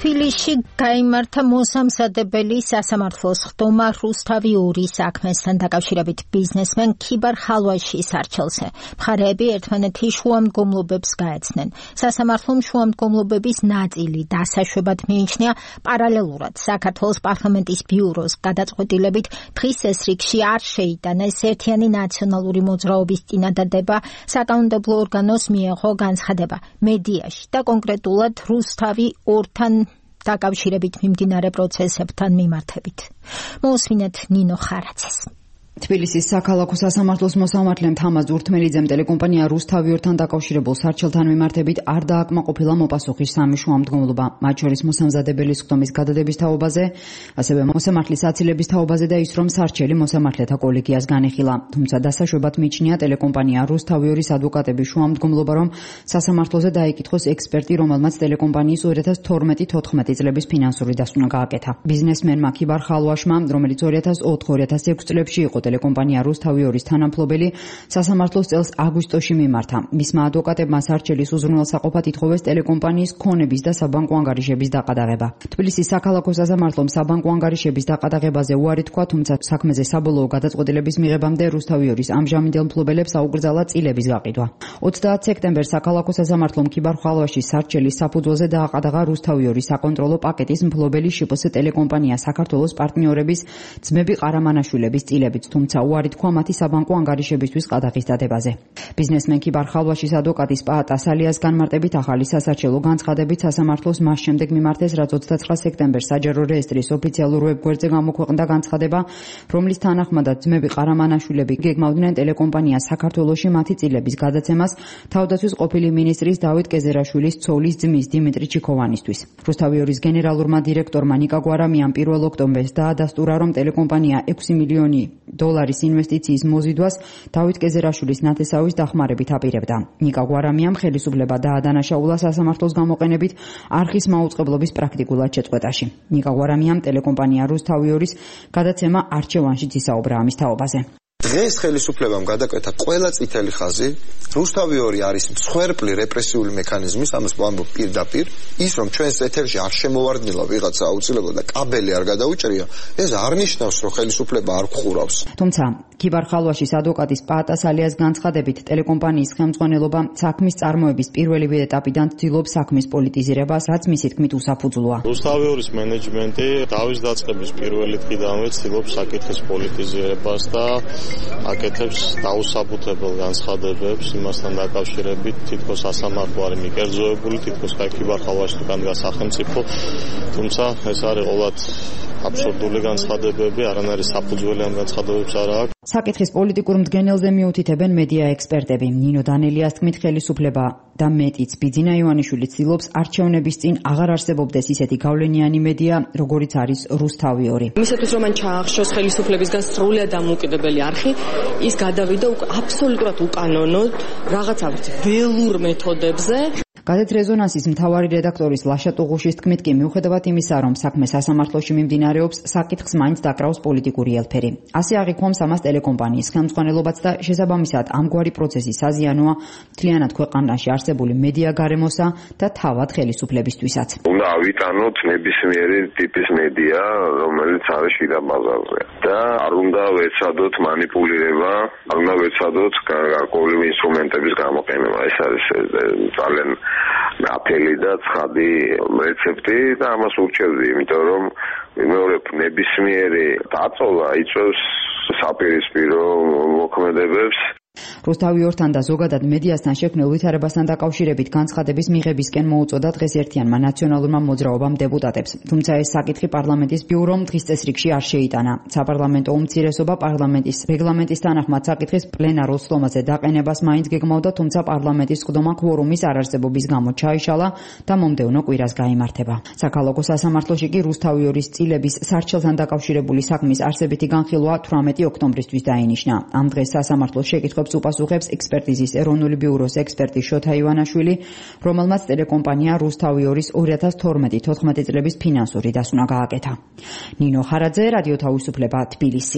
თბილისში გაიმართა მოსამზადებელი სასამართლოს ხდომა რუსთავი 2 საქმესთან დაკავშირებით ბიზნესმენ ქიბარ ხალვაშის არჩელზე. მხარეები ერთმანეთის შუამდგომლობებს გაეცნენ. სასამართლომ შუამდგომლობების ნაწილი დასაშვებად მიიჩნია. პარალელურად საქართველოს პარლამენტის ბიუროს გადაწყვეტილებით დღის ეს რიგში არ შეიტანეს ერთიანი ნაციონალური მოძრაობის წინადადება საკანონმდებლო ორგანოს მიეღო განცხადება მედიაში და კონკრეტულად რუსთავი 2-თან დაკავშირებით მიმდინარე პროცესებთან მიმართებით. მოусმინეთ ნინო ხარაძეს. თბილისის საქალაქო სასამართლოს მოსამართლემ თამაზ ურთმელიძემ ტელეკომპანია რუსთავი 2-თან დაკავშირებულ სარჩელთან მიმართებით არ დააკმაყოფილა მოპასუხის 3 შუამდგომლობა, მათ შორის მოსამზადებელი ხდომის გადადების თაობაზე, ასევე მოსამართლის აცილების თაობაზე და ის, რომ სარჩელი მოსამართლეთა კოლეგიას განეხილა. თუმცა დასაშვებად მიიჩნია ტელეკომპანია რუსთავი 2-ის ადვოკატების შუამდგომლობა, რომ სასამართლოზე დაიკითხოს ექსპერტი, რომელმაც ტელეკომპანიის 2012-14 წლების ფინანსური დასკვნა გააკეთა. ბიზნესმენმა ქიბარ ხალვაშმა, რომელიც 2004-2006 წლებში იყო ტელეკომპანია რუსთავი 2-ის თანამფლობელი, სასამართლოს წელს აგვისტოში მიმართა. მისმა ადვოკატებმა სარჩელის უზრუნველსაყოფად ითხოვეს ტელეკომპანიის ქონების და საბანკო ანგარიშების დაყადაღება. თბილისის საქალაქო სასამართლომ საბანკო ანგარიშების დაყადაღებაზე უარი თქვა, თუმცა საქმეზე საბოლოო გადაწყვეტილების მიღებამდე რუსთავი 2-ის ამჟამინდელ მფლობელებს აუგრძალა წილების გაყიდვა. 30 სექტემბერს საქალაქო სასამართლომ ქიბარ ხალვაშის სარჩელის საფუძველზე დააყადაღა რუსთავი 2-ის საკონტროლო პაკეტის მფლობელი შპს ტელეკომპანია საქართველოს პარტნიორების ძმები ყარამანაშვილების წილებიც, თუმცა უარი თქვა მათი საბანკო ანგარიშებისთვის ყადაღის დადებაზე. ბიზნესმენ ქიბარ ხალვაშის ადვოკატის პაატა სალიას განმარტებით ახალი სასარჩელო განცხადებით სასამართლოს მას შემდეგ მიმართეს, რაც 29 სექტემბერს საჯარო რეესტრის ოფიციალურ ვებგვერდზე გამოქვეყნდა განცხადება, რომლის თანახმადაც ძმები ყარამანაშვილები გეგმავდნენ ტელეკომპანია საქართველოში მათი წილების გადაცემას თავდაცვის ყოფილი მინისტრის დავით კეზერაშვილის ცოლის ძმის დიმიტრი ჩიქოვანისთვის. რუსთავი 2-ის გენერალურმა დირექტორმა ნიკა გვარამიამ 1 ოქტომბერს დაადასტურა, რომ ტელეკომპანია 6 მილიონი დოლარის ინვესტიციის მოზიდვას დავით კეზერაშვილის ნათესავის დახმარებით აპირებდა. ნიკა გვარამიამ ხელისუფლება დაადანაშაულა სასამართლოს გამოყენებით არხის მაუწყებლობის პრაქტიკულად შეწყვეტაში. ნიკა გვარამიამ ტელეკომპანია რუსთავი 2-ის გადაცემა არჩევანშიც ისაუბრა ამის თაობაზე. დღეს ხელისუფლებამ გადაკვეთა ყველა წითელი ხაზი, რუსთავი 2 არის მსხვერპლი რეპრესიული მექანიზმის, ამას ვამბობ პირდაპირ, ის რომ ჩვენს ეთერში არ შემოვარდნილა ვიღაცა აუცილებლად და კაბელი არ გადაუჭრია, ეს არ ნიშნავს, რომ ხელისუფლება არ გხურავს. თუმცა ქიბარ ხალვაშის ადვოკატის პაატა სალიას განცხადებით, ტელეკომპანიის ხელმძღვანელობა საქმის წარმოების პირველივე ეტაპიდან ცდილობს საქმის პოლიტიზირებას, რაც მისი თქმით უსაფუძვლოა. რუსთავი 2-ის მენეჯმენტი დავის დაწყების პირველი დღიდანვე ცდილობს საკითხის პოლიტიზირებას და აკეთებს დაუსაბუთებელ განცხადებებს იმასთან დაკავშირებით, თითქოს სასამართლო არის მიკერძოებული, თითქოს ქიბარ ხალვაშთან სახელმწიფო, თუმცა ეს არის ყოველად აბსურდული განცხადებები, არანაირი საფუძველი ამ განცხადებებს არ აქვს. საკითხის პოლიტიკურ მდგენელზე მიუთითებენ მედია ექსპერტები. ნინო დანელიას თქმით, ხელისუფლება და მეტიც ბიძინა ივანიშვილი ცდილობს არჩევნების წინ აღარ არსებობდეს ისეთი გავლენიანი მედია, როგორიც არის რუსთავი 2. მისათვის რომ მან ჩაახშოს ხელისუფლებისგან სრულიად დამოუკიდებელი არხი, ის გადავიდა აბსოლუტურად უკანონოდ რაღაცა ველურ მეთოდებზე. გაზეთ რეზონანსის მთავარი რედაქტორის ლაშა ტუღუშის თქმით კი, მიუხედავად იმისა, რომ საქმე სასამართლოში მიმდინარეობს, საკითხს მაინც დაკრავს პოლიტიკური ელფერი. ასე აღიქვამს ამას ტელეკომპანიის ხელმძღვანელობაც და შესაბამისად ამგვარი პროცესი საზიანოა მთლიანად ქვეყანაში არსებული მედია გარემოსა და თავად ხელისუფლებისთვისაც. უნდა ავიტანოთ ნებისმიერი ტიპის მედია, რომელიც არის შიდა ბაზარზე და არ უნდა ვეცადოთ манипуლირება, არ უნდა ვეცადოთ გარკვეული ინსტრუმენტების გამოყენება. ეს არის ძალიან აფელი და ცხადი რეცეპტი და ამას ურჩევდი, იმიტომ რომ მეორებ ნებისმიერი დაწოლა იწვევს საპირისპირო მოქმედებებს. რუსთავი 2-თან და ზოგადად მედიასთან შექმნილ ვითარებასთან დაკავშირებით განცხადების მიღებისკენ მოუწოდა დღეს ერთიანმა ნაციონალურმა მოძრაობამ დეპუტატებს. თუმცა ეს საკითხი პარლამენტის ბიურომ დღის წესრიგში არ შეიტანა. საპარლამენტო უმცირესობა პარლამენტის რეგლამენტის თანახმად საკითხის პლენარულ სხდომაზე დაყენებას მაინც გეგმავდა, თუმცა პარლამენტის სხდომა კვორუმის არარსებობის გამო ჩაიშალა და მომდევნო კვირას გაიმართება. საქალაქო სასამართლოში კი რუსთავი 2-ის წილების სარჩელთან დაკავშირებული საქმის არსებითი განხილვა 18 ოქტომბრისთვის დაინიშნა. ამ დღეს სასამართლოს შეკითხვებს უპასუხებს ექსპერტიზის ეროვნული ბიუროს ექსპერტი შოთა ივანაშვილი, რომელმაც ტელეკომპანია რუსთავი 2-ის 2012-14 წლების ფინანსური დასკვნა გააკეთა. ნინო ხარაძე, რადიო თავისუფლება, თბილისი.